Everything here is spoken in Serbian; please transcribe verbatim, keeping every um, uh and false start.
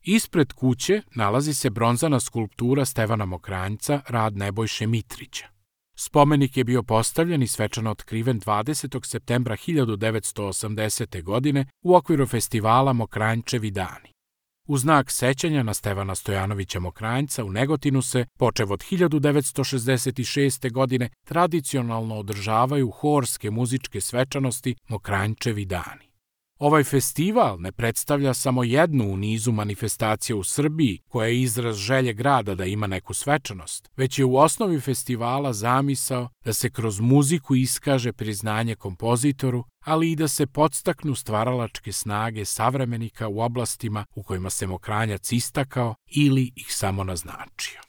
Ispred kuće nalazi se bronzana skulptura Stevana Mokranjca, rad Nebojše Mitrića. Spomenik je bio postavljen i svečano otkriven dvadesetog septembra hiljadu devetsto osamdesete. godine u okviru festivala Mokranjčevi dani. U znak sećanja na Stevana Stojanovića Mokranjca u Negotinu se, počev od hiljadu devetsto šezdeset šeste. godine, tradicionalno održavaju horske muzičke svečanosti Mokranjčevi dani. Ovaj festival ne predstavlja samo jednu u nizu manifestacija u Srbiji koja je izraz želje grada da ima neku svečanost, već je u osnovi festivala zamisao da se kroz muziku iskaže priznanje kompozitoru, ali i da se podstaknu stvaralačke snage savremenika u oblastima u kojima se Mokranjac istakao ili ih samo naznačio.